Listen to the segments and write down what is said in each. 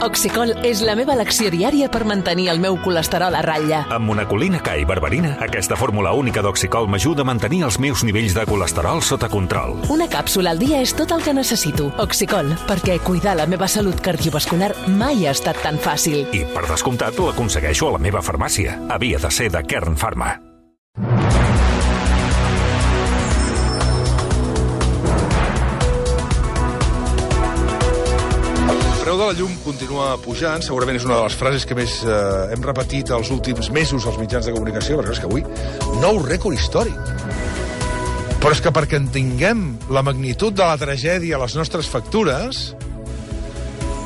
Oxicol és la meva elecció diària per mantenir el meu colesterol a ratlla. Amb monacolina K i berberina, aquesta fórmula única d'Oxicol m'ajuda a mantenir els meus nivells de colesterol sota control. Una càpsula al dia és tot el que necessito. Oxicol, perquè cuidar la meva salut cardiovascular mai ha estat tan fàcil. I, per descomptat, l'aconsegueixo a la meva farmàcia. Havia de ser de Kern Pharma. El preu de la llum continua pujant, segurament és una de les frases que més hem repetit els últims mesos als mitjans de comunicació, perquè és que avui, nou rècord històric. Però és que perquè entenguem la magnitud de la tragèdia a les nostres factures,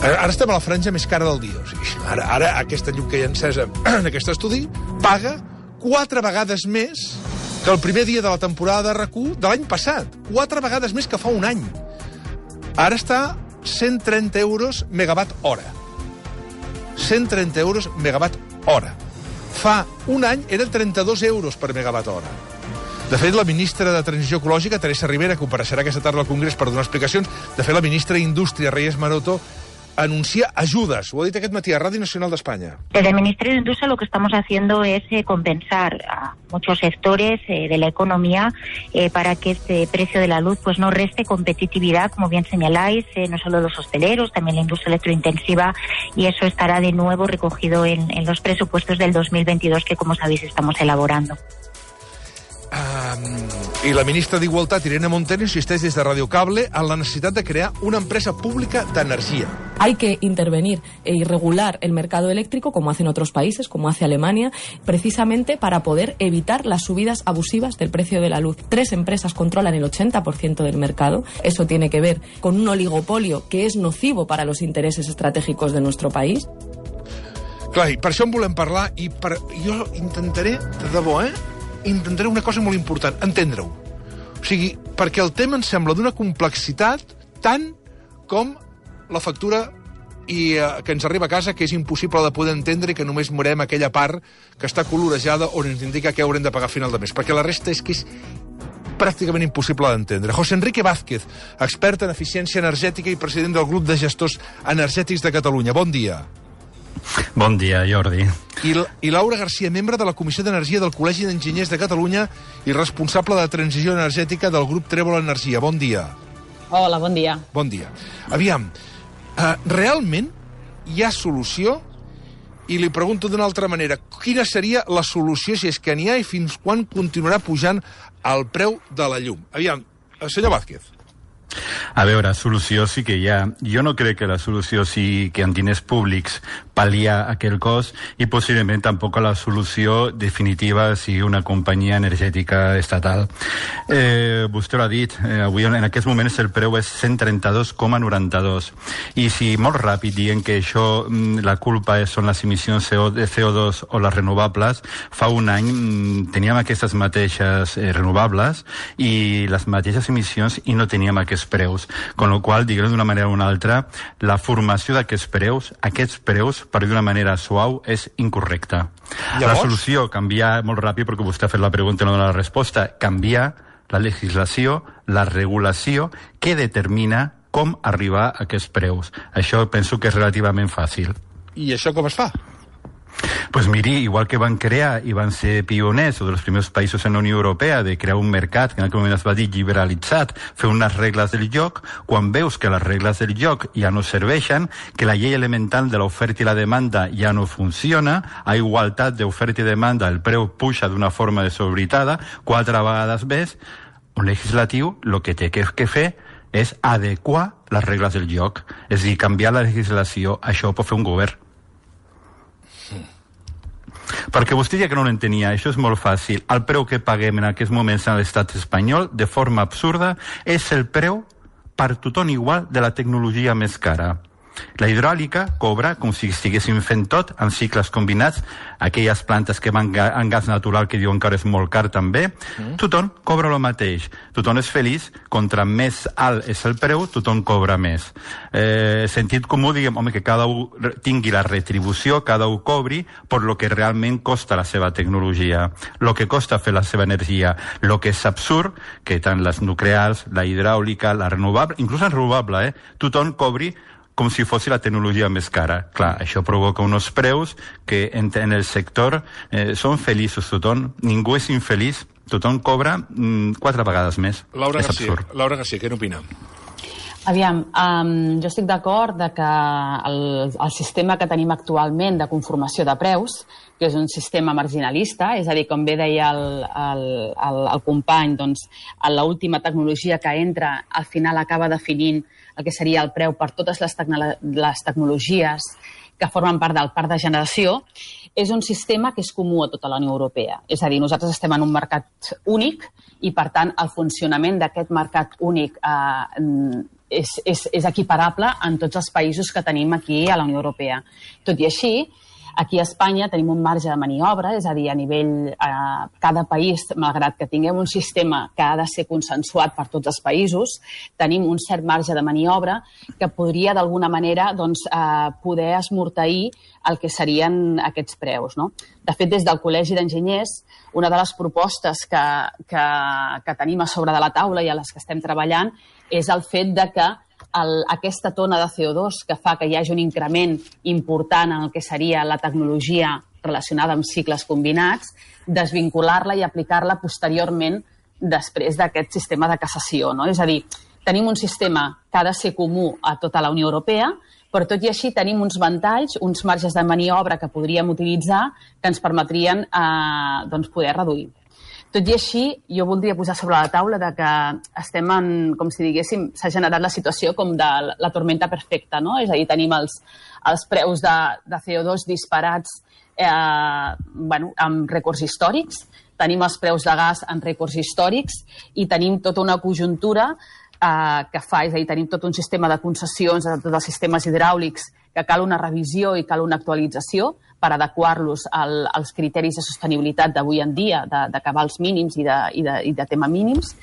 ara estem a la franja més cara del dia. O sigui, ara aquesta llum que hi ha encesa en aquest estudi paga 4 vegades més que el primer dia de la temporada de RAC1 de l'any passat. 4 vegades més que fa un any. Ara està 130 euros megawatt hora. 130 euros megawatt hora. Fa un any eren 32 euros per megawatt hora. De fet, la ministra de Transició Ecològica, Teresa Rivera, compareixerà aquesta tarda al Congrés per donar explicacions. De fet, la ministra d'Indústria, Reyes Maroto, anuncia ayudas. Lo ha dicho aquest matí a Radio Nacional de España. Desde el Ministerio de Industria lo que estamos haciendo es compensar a muchos sectores de la economía para que este precio de la luz pues no reste competitividad, como bien señaláis, no solo los hosteleros, también la industria electrointensiva, y eso estará de nuevo recogido en los presupuestos del 2022 que, como sabéis, estamos elaborando. I la ministra d'Igualtat, Irene Montero, insisteix des de Radio Cable en la necessitat de crear una empresa pública d'energia. Hay que intervenir y regular el mercado eléctrico, como hacen otros países, como hace Alemania, precisamente para poder evitar las subidas abusivas del precio de la luz. 3 empresas controlan el 80% del mercado. Eso tiene que ver con un oligopolio que es nocivo para los intereses estratégicos de nuestro país. Clar, i per això en volem parlar, i jo intentaré, de debò, intentaré una cosa molt important, entendre-ho. O sigui, perquè el tema em sembla d'una complexitat tant com la factura que ens arriba a casa, que és impossible de poder entendre i que només morem aquella part que està colorejada on ens indica què haurem de pagar a final de mes, perquè la resta és que és pràcticament impossible d'entendre. José Enrique Vázquez, expert en eficiència energètica i president del grup de gestors energètics de Catalunya. Bon dia. Bon dia, Jordi. I Laura García, membre de la Comissió d'Energia del Col·legi d'Enginyers de Catalunya i responsable de transició energètica del grup Trèvol Energia. Bon dia. Hola, bon dia. Bon dia. Aviam, realment hi ha solució? I li pregunto d'una altra manera, quina seria la solució, si és que n'hi ha, i fins quan continuarà pujant el preu de la llum? Aviam, senyor Vázquez. A veure, solució sí que hi ha. Jo no crec que la solució sigui que amb diners públics pal·liar aquell cost i possiblement tampoc la solució definitiva sigui una companyia energètica estatal. Vostè ho ha dit, avui en aquests moments el preu és 132,92 i si molt ràpid dient que això la culpa són les emissions de CO2 o les renovables, fa un any teníem aquestes mateixes renovables i les mateixes emissions i no teníem aquests preus, con lo qual, diguem d'una manera o una altra, la formació d'aquests preus, per dir d'una manera suau, és incorrecta. Llavors? La solució, canviar molt ràpid, perquè vostè ha fet la pregunta i no dona la resposta, canviar la legislació, la regulació que determina com arribar a aquests preus. Això penso que és relativament fàcil. I això com es fa? Pues miri, igual que van crear i van ser pioners, o dels primers països en la Unió Europea, de crear un mercat que en aquell moment es va dir liberalitzat, fer unes regles del joc, quan veus que les regles del joc ja no serveixen, que la llei elemental de l'oferta i la demanda ja no funciona, a igualtat d'oferta i demanda el preu puja d'una forma desorbitada, 4 vegades més, un legislatiu el que té que fer és adequar les regles del joc, és a dir, canviar la legislació, això ho pot fer un govern. Perquè vostè ja que no l'entenia, això és molt fàcil. El preu que paguem en aquests moments a l'estat espanyol, de forma absurda, és el preu per tothom igual de la tecnologia més cara. La hidràulica cobra com si estiguéssim fent tot en cicles combinats, aquelles plantes que van en gas natural que diuen que ara és molt car també, tothom cobra el mateix, tothom és feliç, contra més alt és el preu, tothom cobra més. Sentit comú, diguem, home, que cada un tingui la retribució, cada un cobri per lo que realment costa la seva tecnologia, lo que costa fer la seva energia, lo que és absurd, que tant les nuclears, la hidràulica, la renovable, inclús la renovable, tothom cobri com si fos la tecnologia més cara. Clar, això provoca uns preus que en el sector són feliços tothom, ningú és infeliç, tothom cobra 4 vegades més. Laura és Garcia, absurd. Laura Garcia, què n'opina? Aviam, jo estic d'acord que el sistema que tenim actualment de conformació de preus, que és un sistema marginalista, és a dir, com bé deia el company, doncs, l'última tecnologia que entra al final acaba definint el que seria el preu per totes les tecnologies que formen part del parc de generació, és un sistema que és comú a tota la Unió Europea. És a dir, nosaltres estem en un mercat únic i, per tant, el funcionament d'aquest mercat únic és equiparable en tots els països que tenim aquí a la Unió Europea. Tot i així, aquí a Espanya tenim un marge de maniobra, és a dir, a nivell cada país, malgrat que tinguem un sistema que ha de ser consensuat per tots els països, tenim un cert marge de maniobra que podria d'alguna manera poder esmorteir el que serien aquests preus. No? De fet, des del Col·legi d'Enginyers, una de les propostes que tenim a sobre de la taula i a les que estem treballant és el fet de que aquesta tona de CO2 que fa que hi hagi un increment important en el que seria la tecnologia relacionada amb cicles combinats, desvincular-la i aplicar-la posteriorment després d'aquest sistema de cassació. No? És a dir, tenim un sistema que ha de ser comú a tota la Unió Europea, però tot i així tenim uns ventalls, uns marges de maniobra que podríem utilitzar que ens permetrien poder reduir. Tot i així, jo voldria posar sobre la taula que estem en, com si diguéssim, s'ha generat la situació com de la tormenta perfecta, no? És a dir, tenim els preus de CO2 disparats amb rècords històrics, tenim els preus de gas en rècords històrics i tenim tota una conjuntura que fa, és a dir, tenim tot un sistema de concessions de tots els sistemes hidràulics que cal una revisió i cal una actualització per adequar-los als criteris de sostenibilitat d'avui en dia, de cabals mínims i de tema mínims,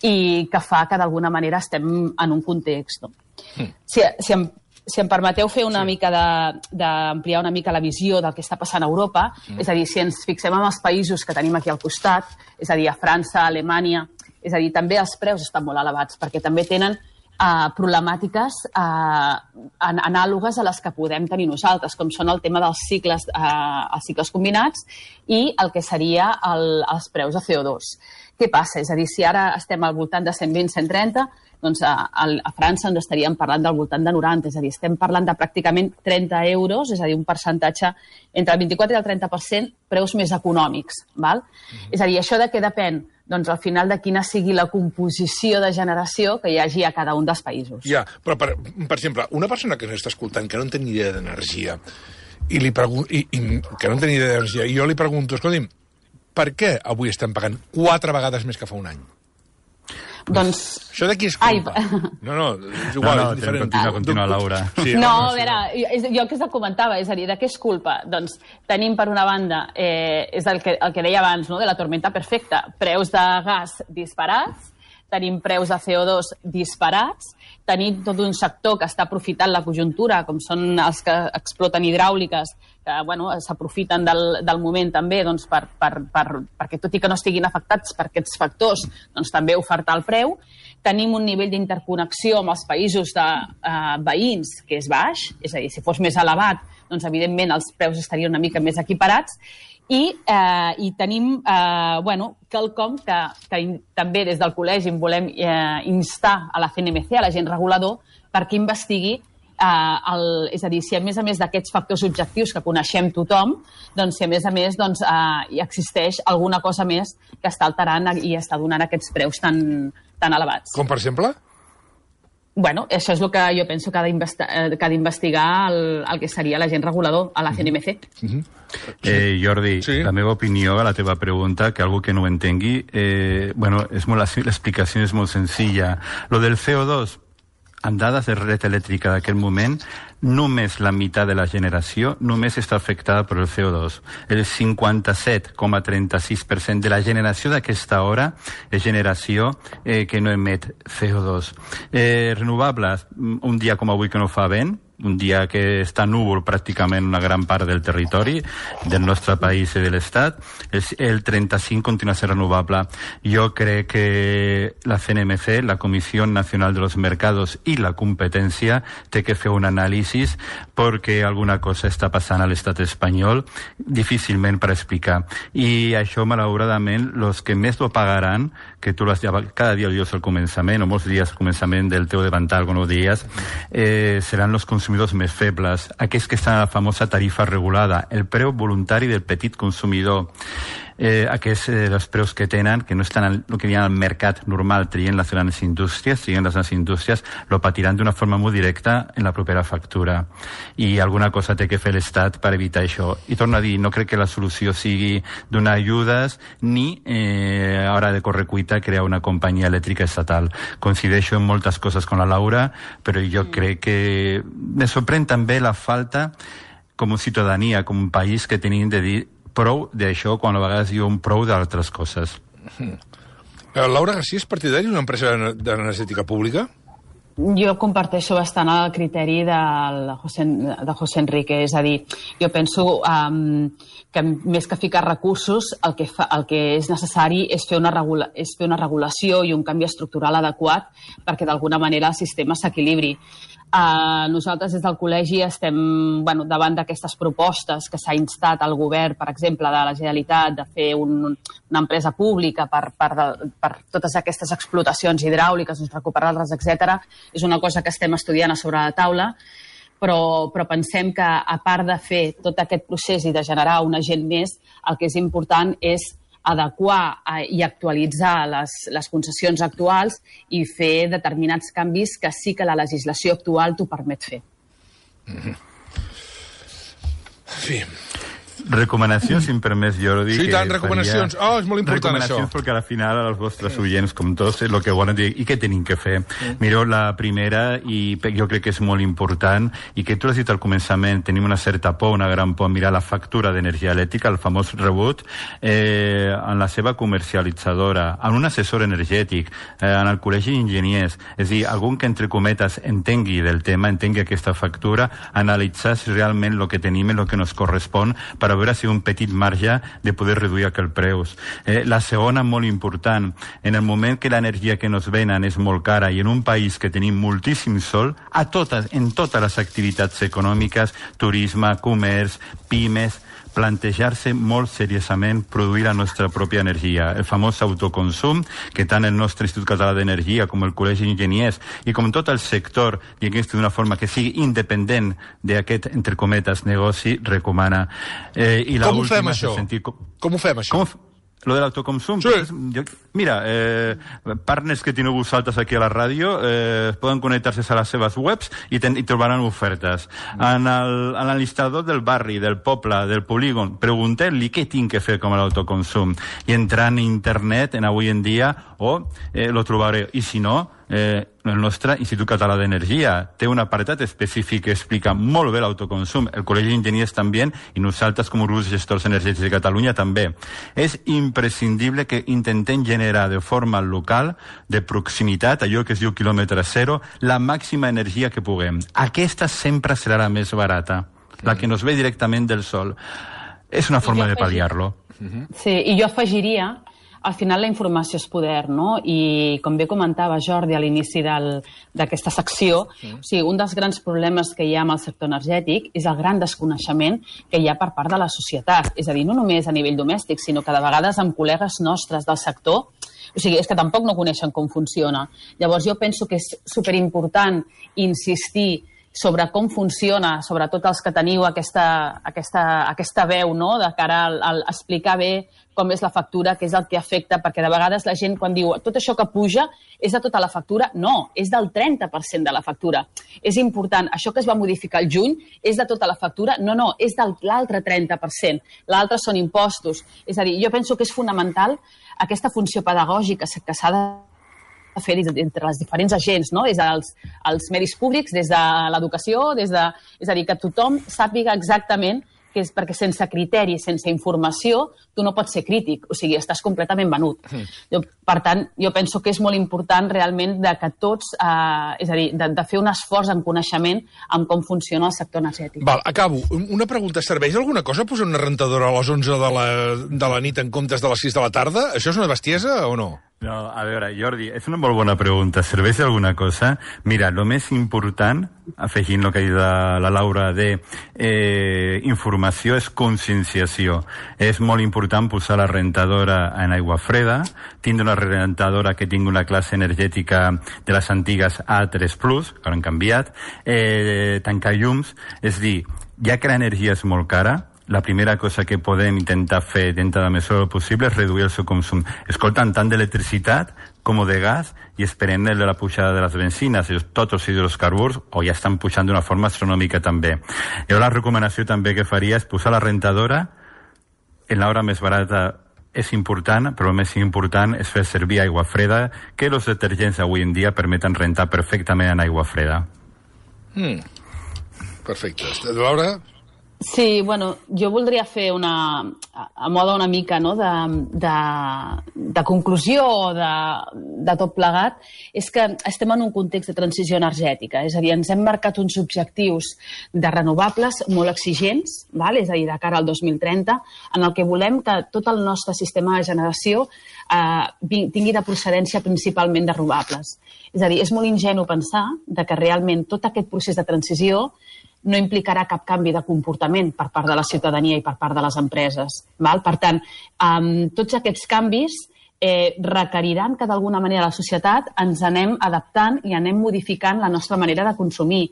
i que fa que d'alguna manera estem en un context. No? Si em permeteu fer una mica d'ampliar una mica la visió del que està passant a Europa, és a dir, si ens fixem en els països que tenim aquí al costat, és a dir, a França, a Alemanya, és a dir, també els preus estan molt elevats, perquè també tenen problemàtiques anàlogues a les que podem tenir nosaltres, com són el tema dels cicles combinats i el que seria els preus de CO2. Què passa? És a dir, si ara estem al voltant de 120-130, doncs a França ens estaríem parlant del voltant de 90, és a dir, estem parlant de pràcticament 30 euros, és a dir, un percentatge entre el 24 i el 30% preus més econòmics. Val? És a dir, això de què depèn? Doncs al final de quina sigui la composició de generació que hi hagi a cada un dels països. Ja, però per exemple, una persona que ens està escoltant que no en té ni idea d'energia i jo li pregunto, escolti'm, per què avui estem pagant 4 vegades més que fa un any? Doncs... Això de qui és culpa? No, és igual, és diferent. Continua, Laura. Sí, no, a veure, jo el que es comentava, és a dir, de què és culpa? Doncs tenim, per una banda, és el que deia abans, no?, de la tormenta perfecta, preus de gas disparats, tenim preus de CO2 disparats, tenim tot un sector que està aprofitant la conjuntura, com són els que exploten hidràuliques, que s'aprofiten del moment també perquè, tot i que no estiguin afectats per aquests factors, doncs també ofertar el preu. Tenim un nivell d'interconnexió amb els països veïns que és baix, és a dir, si fos més elevat, doncs evidentment els preus estarien una mica més equiparats, i tenim quelcom que també des del col·legi volem instar a la CNMC, a l'agent regulador, perquè investigui, és a dir, si a més d'aquests factors objectius que coneixem tothom, doncs si a més hi existeix alguna cosa més que està alterant i està donant aquests preus tan elevats. Com per exemple? Bueno, això és el que jo penso que ha d'investigar el que seria l'agent regulador a la CNMC. Jordi, la meva opinió a la teva pregunta, que algú que no ho entengui, l'explicació és molt senzilla. Lo del CO2, amb dades de red elèctrica d'aquell moment, només la meitat de la generació només està afectada per el CO2. El 57,36% de la generació d'aquesta hora és generació que no emet CO2. Renovables, un dia com avui que no fa vent, un dia que està núvol pràcticament una gran part del territori del nostre país i de l'Estat, el 35 continua a ser renovable. Jo crec que la CNMC, la Comissió Nacional de los Mercados i la Competència té que fer un anàlisi perquè alguna cosa està passant a l'estat espanyol difícilment per explicar. I això, malauradament, els que més lo pagaran, que tu cada dia ho dius al començament, o molts dies al començament del teu davantal, com ho dies, seran els consumidors més febles, aquells que estan a la famosa tarifa regulada, el preu voluntari del petit consumidor, aquests els preus que tenen, que no estan el que diuen al mercat normal, trien les grans indústries, lo patiran d'una forma molt directa en la propera factura. I alguna cosa té que fer l'Estat per evitar això. I torno a dir, no crec que la solució sigui donar ajudes ni a hora de correcuita crear una companyia elèctrica estatal. Coincideixo en moltes coses con la Laura, però jo crec que me sorprèn també la falta com a ciutadania, com un país, que tenim de dir prou d'això quan a vegades diuen prou d'altres coses. Laura García és partidari d'una empresa d'energètica pública? Jo comparteixo bastant el criteri de José Enrique, és a dir, jo penso que més que ficar recursos, el que és necessari és fer una regulació i un canvi estructural adequat perquè d'alguna manera el sistema s'equilibri. Nosaltres des del col·legi estem davant d'aquestes propostes que s'ha instat al govern, per exemple, de la Generalitat, de fer una empresa pública per totes aquestes explotacions hidràuliques, recuperar-les, etc. És una cosa que estem estudiant a sobre la taula, però pensem que, a part de fer tot aquest procés i de generar un agent més, el que és important és adequar i actualitzar les concessions actuals i fer determinats canvis que sí que la legislació actual t'ho permet fer. Sí. Recomanacions, si em permets, Jordi. Sí, tant, recomanacions. És molt important això. Recomanacions perquè al final els vostres oients, com tots, el que volen dir, i què tenim que fer? Mireu, la primera, i jo crec que és molt important, i que tu l'has dit al començament, tenim una certa por, una gran por, mirar la factura d'energia elèctrica, el famós rebut, en la seva comercialitzadora, en un assessor energètic, en el col·legi d'enginyers, és a dir, algun que, entre cometes, entengui del tema, entengui aquesta factura, analitzar si realment el que tenim és el que ens correspon per a veure si un petit marge de poder reduir aquells preus. La segona, molt important, en el moment que l'energia que ens venen és molt cara i en un país que tenim moltíssim sol, en totes les activitats econòmiques, turisme, comerç, pimes, plantejar-se molt seriosament produir la nostra pròpia energia. El famós autoconsum, que tant el nostre Institut Català d'Energia com el Col·legi d'Enginyers i com tot el sector, diguem-ne d'una forma que sigui independent d'aquest, entre cometes, negoci, recomana. Com ho fem, això? Com ho fem, això? Lo de l'autoconsum? Sí. Mira, partners que teniu vosaltres aquí a la ràdio poden connectar-se a les seves webs i trobaran ofertes. En l'enlistador del barri, del poble, del polígon, pregunteu-li què tinc que fer com l'autoconsum. I entrant a internet, avui en dia, lo trobareu. I si no, el nostre Institut Català d'Energia té un apartat específic que explica molt bé l'autoconsum. El Col·legi d'Enginyers també, i nosaltres com a grups gestors energètics de Catalunya també. És imprescindible que intentem generar de forma local, de proximitat, allò que es diu quilòmetre zero, la màxima energia que puguem. Aquesta sempre serà la més barata, la que nos ve directament del sol. És una forma de pal·liar-lo. Sí, i jo afegiria, al final la informació és poder, no? I com bé comentava Jordi a l'inici d'aquesta secció, un dels grans problemes que hi ha amb el sector energètic és el gran desconeixement que hi ha per part de la societat. És a dir, no només a nivell domèstic, sinó que de vegades amb col·legues nostres del sector, és que tampoc no coneixen com funciona. Llavors jo penso que és superimportant insistir sobre com funciona, sobretot els que teniu aquesta veu, no?, de cara a explicar bé com és la factura, què és el que afecta, perquè de vegades la gent quan diu tot això que puja és de tota la factura, no, és del 30% de la factura. És important, això que es va modificar al juny és de tota la factura? No, és de l'altre 30%. L'altre són impostos. És a dir, jo penso que és fonamental aquesta funció pedagògica que s'ha de fer entre els diferents agents, no? Des dels medis públics, des de l'educació, és a dir, que tothom sàpiga exactament que és perquè sense criteri, sense informació, tu no pots ser crític, o sigui, estàs completament venut. Per tant, jo penso que és molt important realment de que tots, és a dir, de fer un esforç en coneixement amb com funciona el sector energètic. Val, acabo. Una pregunta, serveix alguna cosa posar una rentadora a les 11 de la nit en comptes de les 6 de la tarda? Això és una bestiesa o no? No, a veure, Jordi, és una molt bona pregunta. Serveix alguna cosa? Mira, el més important, afegint el que ha dit la Laura de informació, és conscienciació. És molt important posar la rentadora en aigua freda, tindre una rentadora que tingui una classe energètica de les antigues A3+, que ara han canviat, tancar llums, és dir, ja que l'energia és molt cara, la primera cosa que podem intentar fer dintre de la mesura possible és reduir el seu consum. Escoltant tant d'electricitat com de gas i esperem de la pujada de les benzines. Tots els hidrocarburs o ja estan pujant d'una forma astronòmica també. Jo la recomanació també que faria és posar la rentadora en l'hora més barata. És important, però el més important és fer servir aigua freda, que els detergents avui en dia permeten rentar perfectament en aigua freda. Perfecte. Laura? Sí, bueno, jo voldria fer a moda una mica no, de conclusió o de tot plegat, és que estem en un context de transició energètica, és a dir, ens hem marcat uns objectius de renovables molt exigents, és a dir, de cara al 2030, en el que volem que tot el nostre sistema de generació tingui de procedència principalment de renovables. És a dir, és molt ingenu pensar que realment tot aquest procés de transició no implicarà cap canvi de comportament per part de la ciutadania i per part de les empreses. Per tant, tots aquests canvis requeriran que d'alguna manera la societat ens anem adaptant i anem modificant la nostra manera de consumir.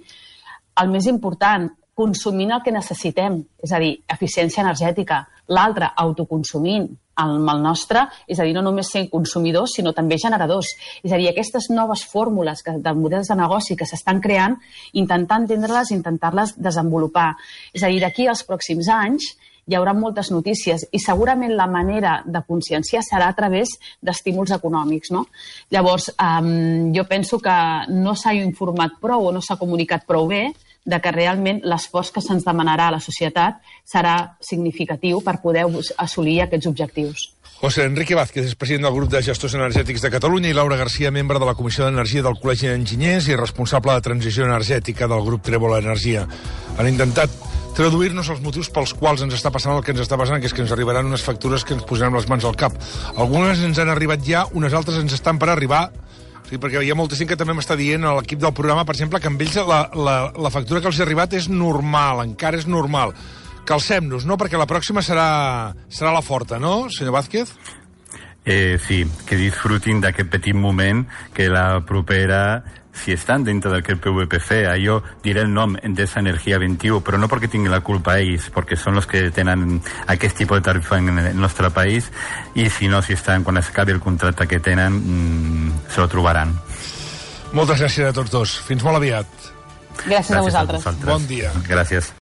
El més important, consumint el que necessitem, és a dir, eficiència energètica. L'altre, autoconsumint el nostre, és a dir, no només sent consumidors, sinó també generadors. És a dir, aquestes noves fórmules de models de negoci que s'estan creant, intentar entendre-les, intentar-les desenvolupar. És a dir, d'aquí als pròxims anys hi haurà moltes notícies i segurament la manera de conscienciar serà a través d'estímuls econòmics. Llavors, jo penso que no s'ha informat prou o no s'ha comunicat prou bé de que realment l'esforç que se'ns demanarà a la societat serà significatiu per poder assolir aquests objectius. José Enrique Vázquez és president del grup de gestors energètics de Catalunya i Laura García, membre de la Comissió d'Energia del Col·legi d'Enginyers i responsable de transició energètica del grup Trèvola Energia. Han intentat traduir-nos els motius pels quals ens està passant el que ens està passant, que és que ens arribaran unes factures que ens posarem les mans al cap. Algunes ens han arribat ja, unes altres ens estan per arribar. Sí, perquè hi ha molta gent que també m'està dient a l'equip del programa, per exemple, que amb ells la factura que els ha arribat és normal, encara és normal. Calcem-nos, no? Perquè la pròxima serà la forta, no, senyor Vázquez? Sí, que disfrutin d'aquest petit moment, que la propera, si estan dintre d'aquest PVPC, jo diré el nom Endesa Energia 21, però no perquè tinguin la culpa ells, perquè són els que tenen aquest tipus de tarifa en el nostre país, i si no, si estan, quan s'acabi el contracte que tenen, se lo trobaran. Moltes gràcies a tots dos. Fins molt aviat. Gràcies a vosaltres. Bon dia. Gràcies.